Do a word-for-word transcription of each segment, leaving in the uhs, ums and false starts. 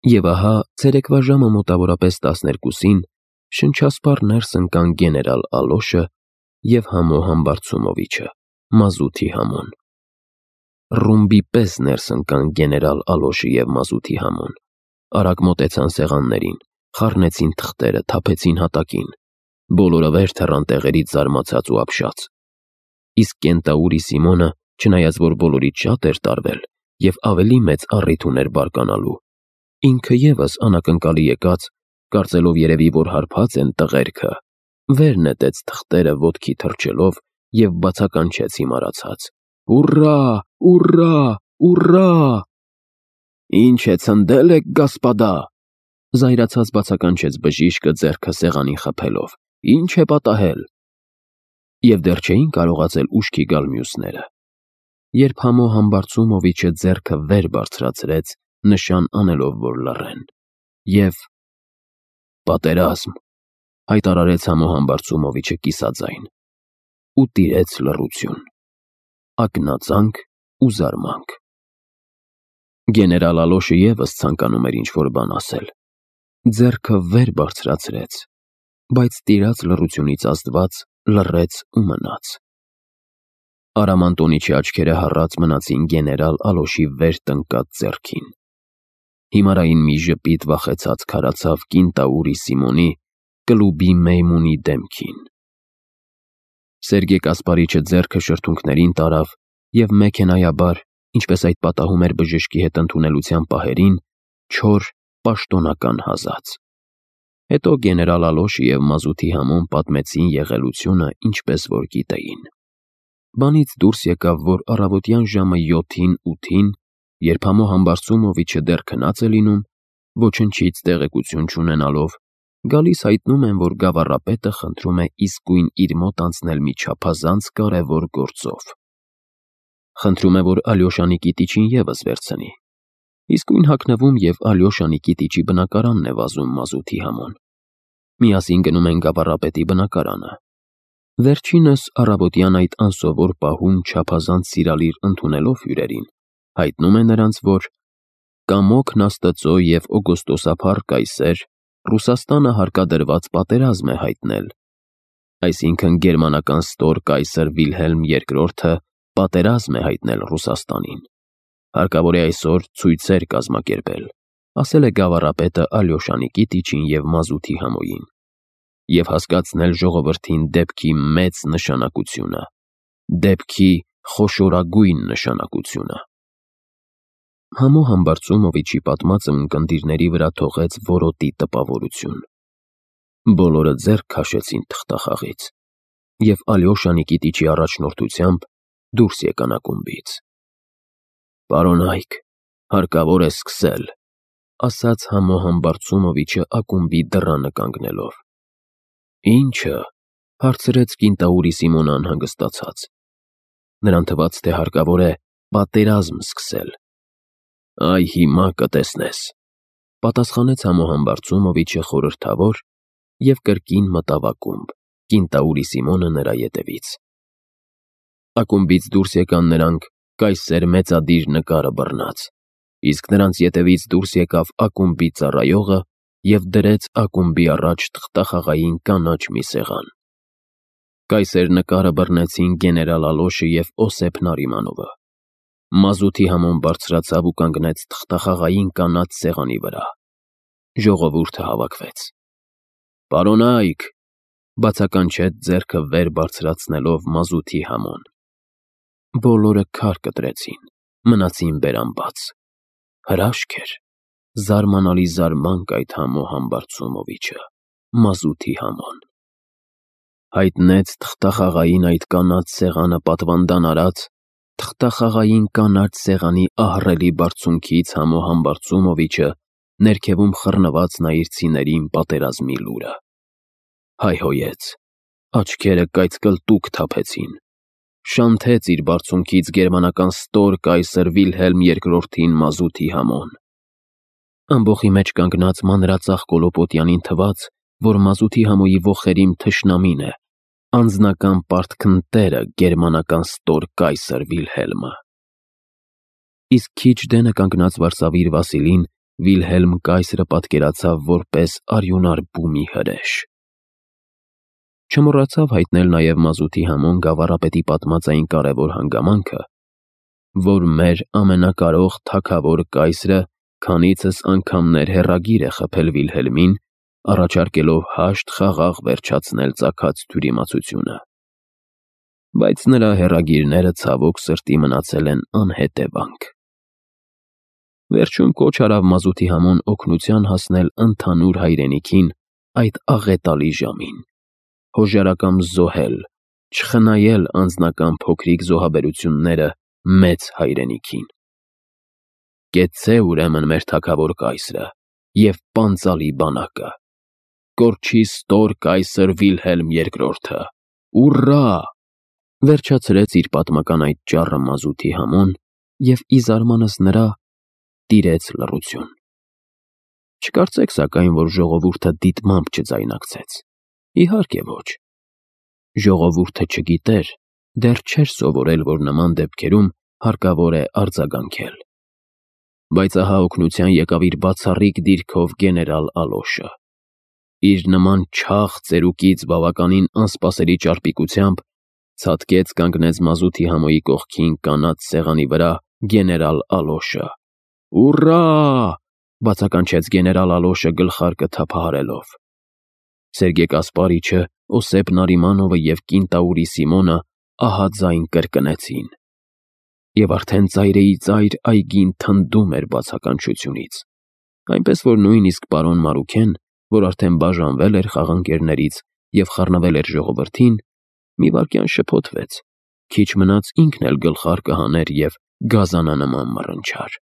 Եվ ահա ցերեկվա ժամը մոտավորապես տասներկուսին շնչասպառ ներս ընկան գեներալ Ալոշը և Համո Համբարձումովիչը, Մազութի Համոն։ Ռումբի պես ներս ընկան գեներալ Ալոշը և Մազութի Համոն, արագ մոտեցան սեղաններին, խառնեցին թղթերը, թափեցին հատակին, բոլորը վեր թռան տեղերից զարմացած ու ապշած։ Իսկ կենտաուրի Սիմոնը, չնայած որ բոլորից շատ էր տարվել և ավելի մեծ առիթ ուներ բարկանալու, ինքը ևս անակնկալի եկած, կարծելով երևի, որ հարբած են տղերքը, վեր նետեց թղթերը ոտքի թռչելով և բացականչեց հիմարացած. «Ուռա, ուռա, ուռա»։ «Ինչ է ցնդել եք, գասպադա», զայրացած բացականչեց բժիշկը ձեռքը սեղանին խփելով, «ինչ է պատահել»։ Եվ դեռ չէին կարողացել ուշքի գալ մյուսները, երբ Համո Համբարձումովիչը ձեռքը վեր բարձրացրեց, նշան անելով, որ լռեն, և «Պատերազմ», հայտարարեց Համո Համբարձումովիչը կիսաձայն, ու տիրեց լռություն, ակնածանք ու զարմանք։ Գեներալ Ալոշը ևս ցանկանում էր ինչ-որ բան ասել, ձեռքը վեր բարձրացրեց, բայց տիրած լռությունից ազդված լռեց ու մնաց։ Արամ Անտոնիչի աչքերը հառած մնացին գեներալ Ալոշի վեր տնկած ձեռքին։ Հիմարային մի ժպիտ վախեցած քարացավ կինտաուրի Սիմոնի, կլուբի Մեյմունի դեմքին։ Սերգեյ Կասպարիչը ձեռքը շրթունքներին տարավ և մեքենայաբար, ինչպես այդ պատահում էր բժշկի հետ ընդունելության պահերին, չոր, պաշտոնական հազաց։ Հետո գեներալ Ալոշը և Մազութի Համոն պատմեցին եղելությունը, ինչպես որ գիտեին։ Բանից դուրս եկավ, որ առավոտյան ժամը յոթին-ութին, երբ Համո Համբարձումովիչը դեռ քնած է լինում, ոչնչից տեղեկություն չունենալով, գալիս հայտնում են, որ գավառապետը խնդրում է իսկույն իր մոտ անցնել մի չափազանց կարևոր գործով։ Խնդրում է, որ Ալյոշանի կիտիչին ևս վերցնի։ Իսկույն հագնվում և Ալյոշանի կիտիչի բնակարանն է վազում Մազութի Համոն։ Միասին գնում են գավառապետի բնակարանը։ Վերջինս առավոտյան այդ անսովոր պահում չափազանց սիրալիր ընդունելով հյուրերին, հայտնում է նրանց, որ կամոքն Աստծո և օգոստոսափառ կայսեր Ռուսաստանը հարկադրված պատերազմ է հայտնել, այսինքն գերմանական ստոր կայսր Վիլհելմ երկրորդը պատերազմ է հայտնել Ռուսաստանին, հարկավոր է այսօր ցույցեր կազմակերպել, ասել է գավառապետը Ալյոշանի կիտիչին և Մազութի Համոյին, և հասկացնել ժողովրդին դեպքի մեծ նշանակությունը, դեպքի խոշորագույն նշանակությունը։ Համո Համբարձումովիչի պատմածը ունկնդիրների վրա թողեց որոտի տպավորություն։ Բոլորը ձեռք քաշեցին թղթախաղից, և Ալյոշանի կիտիչի առաջնորդությամբ դուրս եկան ակումբից։ «Պարոնայք, հարկավոր է սկսել», ասաց Համո Համբարձումովիչը ակումբի դռանը կանգնելով։ «Ի՞նչը», հարցրեց կինտաուրի Սիմոնը անհանգստացած։ Նրան թվաց, թե հարկավոր է պատերազմ սկսել։ «Այ հիմա կտեսնես», պատասխանեց Համո Համբարձումովիչը խորհրդավոր և կրկին մտավ ակումբ, կինտաուրի Սիմոնը նրա ետևից։ Ակումբից դուրս եկան նրանք կայսեր մեծադիր նկարը բռնած, իսկ նրանց ետևից դուրս եկավ ակումբի ծառայողը և դրեց ակումբի առաջ թղթախաղային կանաչ մի սեղան։ Կայսեր նկարը բռնեցին գեներալ Ալոշը և Օսեփ Նարիմանովը։ Մազութի Համոն բարձրացավ ու կանգնեց թղթախաղային կանաչ սեղանի վրա։ Ժողովուրդը հավաքվեց։ «Պարոնայք», բացականչեց ձեռքը վեր բարձրացնելով Մազութի Համոն։ Բոլորը քար կտրեցին, մնացին բերանբաց։ Հրաշք էր, զարմանալի զարմանք այդ Համո Համբարձումովիչը, Մազութի Համոն։ Հայտնեց թղթախաղային այդ կանաչ սեղանը պատվանդան արած, թղթախաղային կանաչ սեղանի ահռելի բարձունքից Համո Համբարձումովիչը ներքևում խռնված նայիր պատերազմի լուրը։ Հայհոյեց, աչքերը կայծկլտուկ թափեցին, շանթեց իր բարձունքից գերմանական ստոր կայսր Վիլհելմ երկրորդին Մազութի Համոն։ Ամբոխի մեջ կանգնած մանրածախ Կոլոպոտյանին թվաց, որ Մազութի Համոյի ոխերիմ թշնամին է, անձնական պարտքն տերը գերմանական ստոր կայսր Վիլհելմը։ Իսկ քիչ դենը կանգնած վարսավիր Վասիլին Վիլհելմ կայսրը պատկերացավ որպես արյունար բումի հրեշ։ Չմոռացավ հայտնել նաև մազութի համոն գավառապետի պատմած այն կարևոր հանգամանքը, որ մեր ամենակարող թագավոր կայսրը քանիցս անգամներ հեռագիր է խփել Վիլհելմին, առաջարկելով հաշտ խաղաղ վերջացնել ծագած թյուրիմացությունը։ Բայց նրա հեռագիրները ցավոք սրտի մնացել են անհետևանք։ Վերջում կոչ արավ մազութի համոն օգնության հասնել ընդհանուր հայրենիքին այդ աղետալի ժամին, հոժարակամ զոհել, չխնայել անձնական փոքրիկ զոհաբերությունները մեծ հայրենիքին։ Կեցցե ուրեմն մեր թագավոր կայսրը և պանծալի բանակը, կորչի ստոր կայսր Վիլհելմ երկրորդը, ուռա, վերջացրեց իր պատմական այդ ճառը մազութի համոն և ի զարմանս նրա տիրեց լռություն։ Չկարծեք սակայն, որ ժողովուրդը դիտմամբ չձայնակցեց, իհարկե ոչ։ Ժողովուրդը չգիտեր, դեռ չէր սովորել, որ նման դեպքերում հարկավոր է արձագանքել։ Բայց ահա օգնության եկավ իր բացառիկ դիրքով գեներալ Ալոշը։ Իր նման չաղ ծերուկից բավականին անսպասելի ճարպիկությամբ ցատկեց կանգնեց մազութի համոյի կողքին կանաչ սեղանի վրա գեներալ Ալոշը։ Ուռա, բացականչեց գեներալ Ալոշը գլխարկը թափահարելով։ Սերգեյ Կասպարիչը, Օսիպ Նարիմանովը և կինտաուրի Սիմոնը ահաձայն կրկնեցին։ Եվ արդեն ծայրեի ծայր այգին թնդում էր բացականչությունից, այնպես որ նույնիսկ պարոն Մարուքեն, որ արդեն բաժանվել էր խաղանկերներից և խառնվել էր ժողովրդին, մի վայրկյան շփոթվեց, քիչ մնաց ինքն էլ գլխարկը հաներ և գազանանման մռնչար։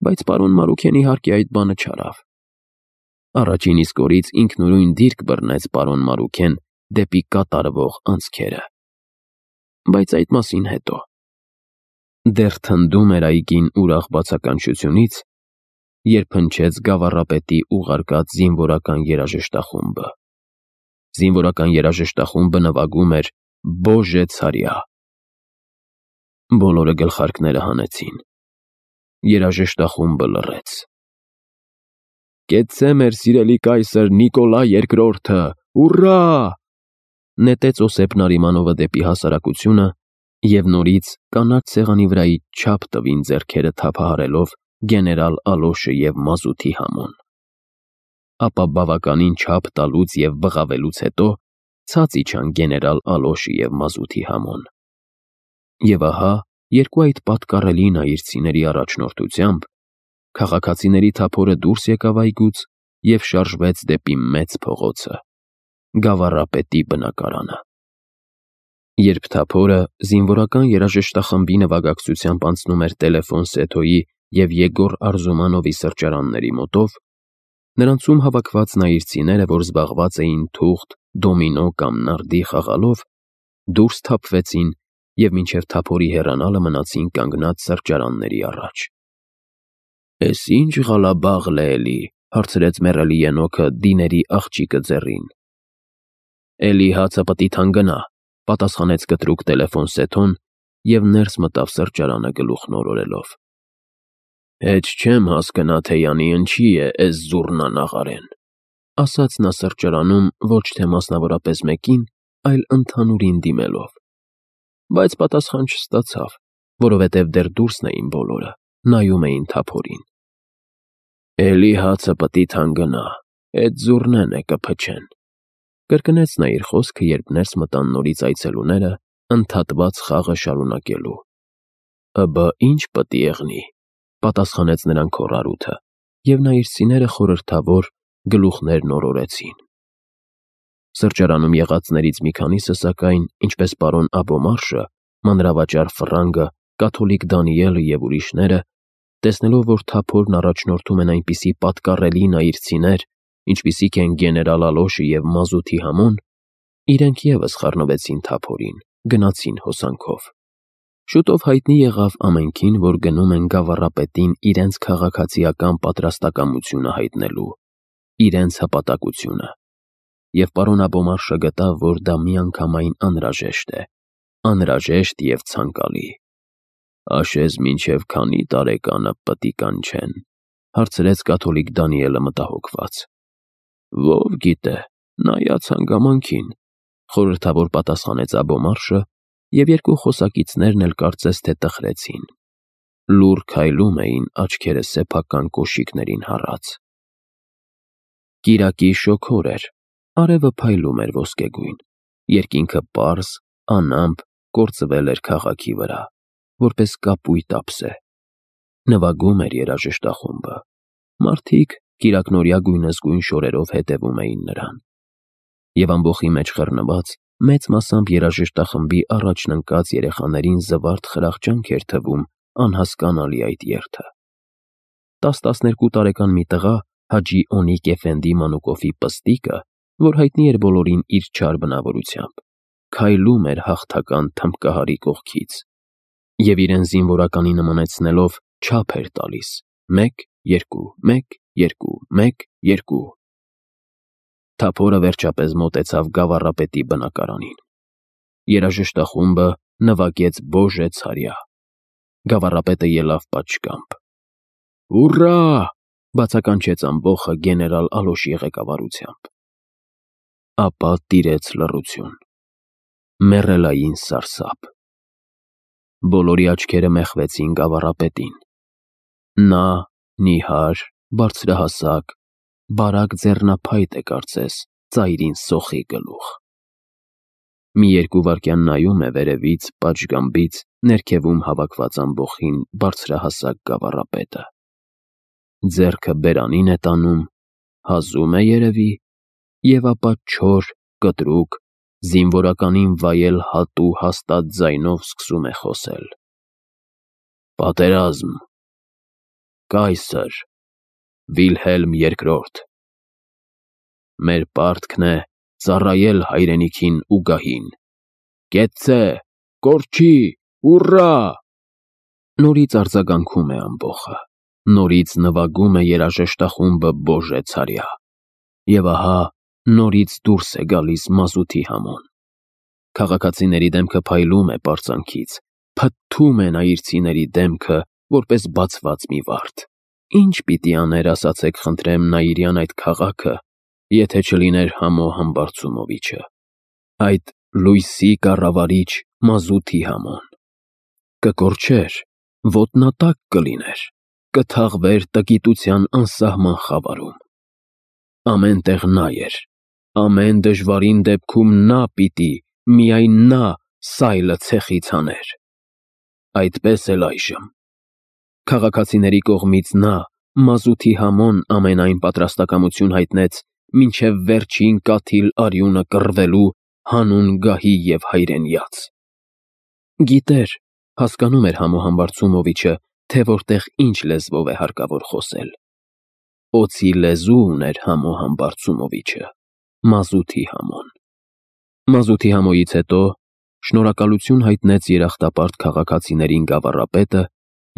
Բայց պարոն Մարուքեն իհարկե այդ բանը չարավ։ Առաջին իսկ օրից ինքնուրույն դիրք բռնեց պարոն Մարուքեն դեպի կատարվող անցքերը։ Բայց այդ մասին հետո։ Դեռ թնդում էր այգին ուրախ բացականչությունից, երբ հնչեց գավառապետի ուղարկած զինվորական երաժշտախումբը։ Զինվորական երաժշտախումբը նվագում էր «Բոժե ցարյա»։ Բոլորը գլխարկները հանեցին։ Երաժշտախումբը լռեց։ Կեցցե մեր սիրելի կայսր Նիկոլա երկրորդը, ուռա, նետեց Օսիպ Նարիմանովը դեպի հասարակությունը և նորից կանաչ սեղանի վրայից չափ տվին ձեռքերը թափահարելով գեներալ Ալոշը և մազութի համոն։ Ապա բավականին չափ տալուց և բղավելուց հետո ցած իջան գեներալ Ալոշը և մազութի համոն։ Եվ ահա երկու այդ պատկառելի նայիրցիների առաջնորդությամբ քաղաքացիների թափորը դուրս եկավ այգուց և շարժվեց դեպի մեծ փողոցը, գավառապետի բնակարանը։ Երբ թափորը զինվորական երաժշտախմբի նվագակցությամբ անցնում էր Տելեֆոն Սեթոյի և Եգոր Արզումանովի սրճարանների մոտով, նրանցում հավաքված նայիրցիները, որ զբաղված էին թուղթ, դոմինո կամ նարդի խաղալով, դուրս թափվեցին և մինչև թափորի հեռանալը մնացին կանգնած սրճարանների առաջ։ Էս ի՞նչ Ղալաբաղլ է էլի, հարցրեց մեռելի ենոքը դիների աղջիկը ձեռին։ Էլի հացը պտի թանկանա, պատասխանեց կտրուկ Տելեֆոն Սեթոն և ներս մտավ սրճարանը գլուխն օրորելով։ Հեչ չեմ հասկնա, թե յանի ընչի է էս զուռնան աղարեն, ասաց նա սրճարանում ոչ թե մասնավորապես մեկին, այլ ընդհանուրին դիմելով։ Բայց պատասխան չստացավ, որովհետև դեռ դուրսն էին բոլորը, նայում էին թափորին։ Էլի հացը պտի թանկանա, էդ զուռնեն է կփչեն, կրկնեց նա իր խոսքը, երբ ներս մտան նորից այցելուները, ընդհատված խաղը շարունակելու։ Ըբը ի՞նչ պտի եղնի, պատասխանեց նրան քոռարութը, և նայիրցիները խորհրդավոր գլուխներն օրորեցին։ Սրճարանում եղածներից մի քանիսը, սակայն, ինչպես պարոն Աբոմարշը, մանրավաճառ Ֆրանգը, կաթոլիկ Դանիելը և ուրիշները, տեսնելով, որ թափորն առաջնորդում են այնպիսի պատկառելի նայիրցիներ, ինչպիսիք են գեներալ Ալոշը և մազութի համոն, իրենք ևս խառնվեցին թափորին, գնացին հոսանքով։ Շուտով հայտնի եղավ ամենքին, որ գնում են գավառապետին իրենց քաղաքացիական պատրաստակամությունը հայտնելու, իրենց հպատակությունը։ Եվ պարոն Աբոմարշը գտավ, որ դա միանգամայն անհրաժեշտ է, անհրաժեշտ և ցանկալի։ Աշեզ մինչև քանի տարեկանը պտի կանչեն, հարցրեց կաթոլիկ Դանիելը մտահոգված։ Ով գիտե, նայած հանգամանքին, խորհրդավոր պատասխանեց Աբոմարշը, և երկու խոսակիցներն էլ կարծես թե տխրեցին։ Լուռ քայլում էին, աչքերը սեփական կոշիկներին հառած։ Կիրակի շոգոր էր, արևը փայլում էր ոսկեգույն, երկինքը պարզ, անամպ կործվել էր քաղաքի վրա, որպես կապույտ ափսե։ Նվագում էր երաժշտախումբը։ Մարդիկ կիրակնօրյա գույնզգույն շորերով հետևում էին նրան։ Եվ ամբոխի մեջ խռնված, մեծ մասամբ երաժշտախմբի առաջն ընկած երեխաներին զվարթ խրախճանք էր թվում անհասկանալի այդ երթը։ տաս-տասներկու տարեկան մի տղա Հաջի Օնիկ Էֆենդի Մանուկովի պստիկը, որ հայտնի էր բոլորին իր չար բնավորությամբ, քայլում էր հաղթական թմբկահարի կողքից և իրեն զինվորականի նմանեցնելով չափ էր տալիս. մեկ, երկու, մեկ, երկու, մեկ, երկու։ Թափորը վերջապես մոտեցավ գավառապետի բնակարանին։ Երաժշտախումբը նվագեց Բոժե ցարյա։ Գավառապետը ելավ պատշգամբ։ Ուռա! Բացականչեց ամբոխը գեներալ Ալոշի ղեկավարությամբ։ Ապա տիրեց լռություն։ Մեռելային սարսափ։ Բոլորի աչքերը մեխվեցին գավառապետին։ Նա նիհար, բարձրահասակ, բարակ ձեռնափայտ է կարծես, ծայրին սոխի գլուխ։ Մի երկու վայրկյան նայում է վերևից, պատշգամբից, ներքևում հավաքված ամբոխին բարձրահասակ գավառապետը։ Ձեռքը բերանին է տանում, հազում է երևի, և ապա չոր, կտրուկ, զինվորականին վայել հատու հաստատ ձայնով սկսում է խոսել. Պատերազմ, կայսր, Վիլհելմ երկրորդ, մեր պարտքն է ծառայել հայրենիքին ու գահին, կեցցե, կորչի, ուռա։ Նորից արձագանքում է ամբոխը, նորից նվագում է երաժշտախումբը Բոժե ցարյա, և ահա նորից դուրս է գալիս մազութի համոն։ Քաղաքացիների դեմքը փայլում է պարծանքից, փթթում է նայիրցիների դեմքը, որպես բացված մի վարդ։ Ինչ պիտի աներ, ասացեք խնդրեմ, Նայիրյան այդ քաղաքը, եթե չլիներ Համո Համբարձումովիչը, այդ լույսի կառավարիչ մազութի համոն։ Կկորչեր, ոտնատակ կլիներ, կթաղվեր տգիտության անսահման խավարում։ Ամեն տեղ նա էր, ամեն դժվարին դեպքում նա պիտի, միայն նա սայլը ցեխից հաներ։ Այդպես էլ այժմ։ Քաղաքացիների կողմից նա, մազութի համոն, ամենայն պատրաստակամություն հայտնեց մինչև վերջին կաթիլ արյունը կռվելու հանուն գահի և հայրենյաց։ Գիտեր, հասկանում էր Համո Համբարձումովիչը, թե որտեղ ինչ լեզվով է հարկավոր խոսել։ Օձի լեզու ուներ Համո Համբարձումովիչը, մազութի համոն։ Մազութի համոյից հետո շնորհակալություն հայտնեց երախտապարտ քաղաքացիներին գավառապետը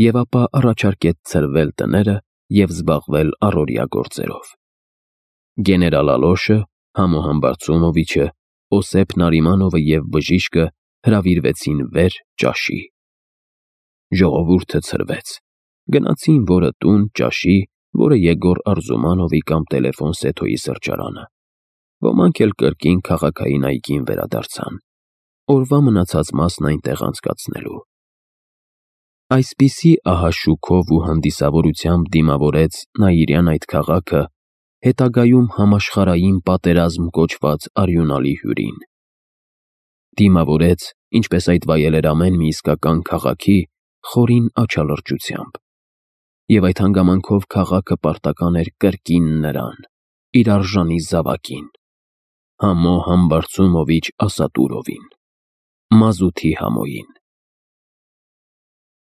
և ապա առաջարկեց ցրվել տները և զբաղվել առօրյա գործերով։ Գեներալ Ալոշը, Համո Համբարձումովիչը, Օսեփ Նարիմանովը և բժիշկը հրավիրվեցին վեր ճաշի։ Ժողովուրդը ցրվեց։ Գնացին որը տուն ճաշի, որը Եգոր Արզումանովի կամ Տելեֆոն Սեթոյի սրճարանը։ Ոմանք էլ կրկին քաղաքային այգին վերադարձան, օրվա մնացած մասն այնտեղ անցկացնելու։ Այսպիսի ահա շուքով ու հանդիսավորությամբ դիմավորեց Նայիրյան այդ քաղաքը հետագայում համաշխարհային պատերազմ կոչված արյունալի հյուրին։ Դիմավորեց, ինչպես այդ վայել էր ամեն մի իսկական քաղաքի, խորին աչալրջությամբ։ Եվ այդ հանգամանքով քաղաքը պարտական էր կրկին նրան, իր արժանի զավակին, Համո Համբարձումովիչ Ասատուրովին, մազութի համոյին։